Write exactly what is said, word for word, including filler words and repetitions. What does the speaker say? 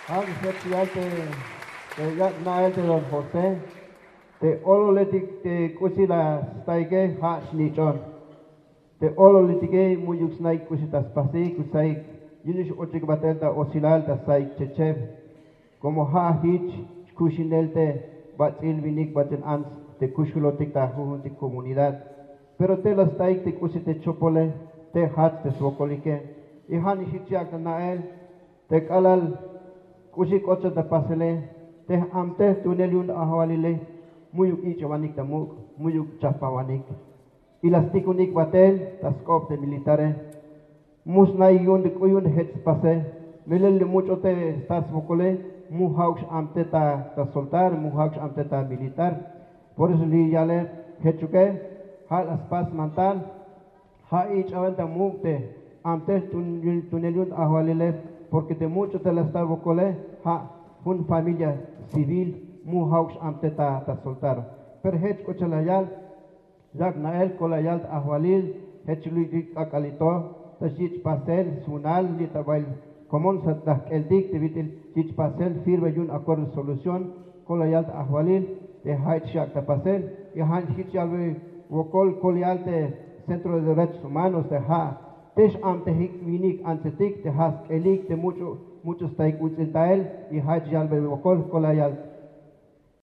Ja' jech yal te, te yak' na'el te don José, te ololetik te k'usi la staike ja' xnich'on. Te ololetike mu'yuk snaik k'usi ta spasik, k'usi saik yu'un x-ochik batel ta osilal ta saik checheb. Como ja' jich xkuxinel te bats'il winik, bats'il ants te kuxulotik ta jujuntik comunidad. Pero te la staik te k'usi te chopole, te jats te swokolike. Y ja' nix jich yak' ta na'el te k'alal k'usi k'ot xan ta pasele, te j-amtej tunel yu'un ajwalile mu'yuk ich'obanik ta muk', mu'yuk chajpawanik. Y la stikunik batel ta sk'op te militare. Mu snaik yu'un te k'u yu'un jech spase. Melel li much'o te stat swokole, mu ja'uk x-amte ta, ta soltar, mu ja'uk x-amte ta militar. Por eso li yale jechuke, ja' la spas mantal, ja' ich'aben ta muk' te amtej tun-, tunel yu'un ajwalile, porque te much'o te la sta wokole, ja' jun familia civil, mu ja'uk x-amte ta, ta soltar. Pero jech k'u cha'al la yal, yak' na'el, ko la yal ta ajwalil, jech lu'yik k'ak'alil to, ta xyich' pasel sunal li' ta bael komon sa' ta jk'eltik te bit'il yich' pasel firme yu'un acuerdo de solución, ko la yal ta ajwalil, te ja' jich yak' ta pasel. Y ja' jich yalbe wokol, ko la yal te Centro de Derechos Humanos, te ja' te x-amtejik winik antsetik, te ja' sk'elik te much'o, much'o staik uts'il tael. Y ja' jich yalbe wokol, ko la yal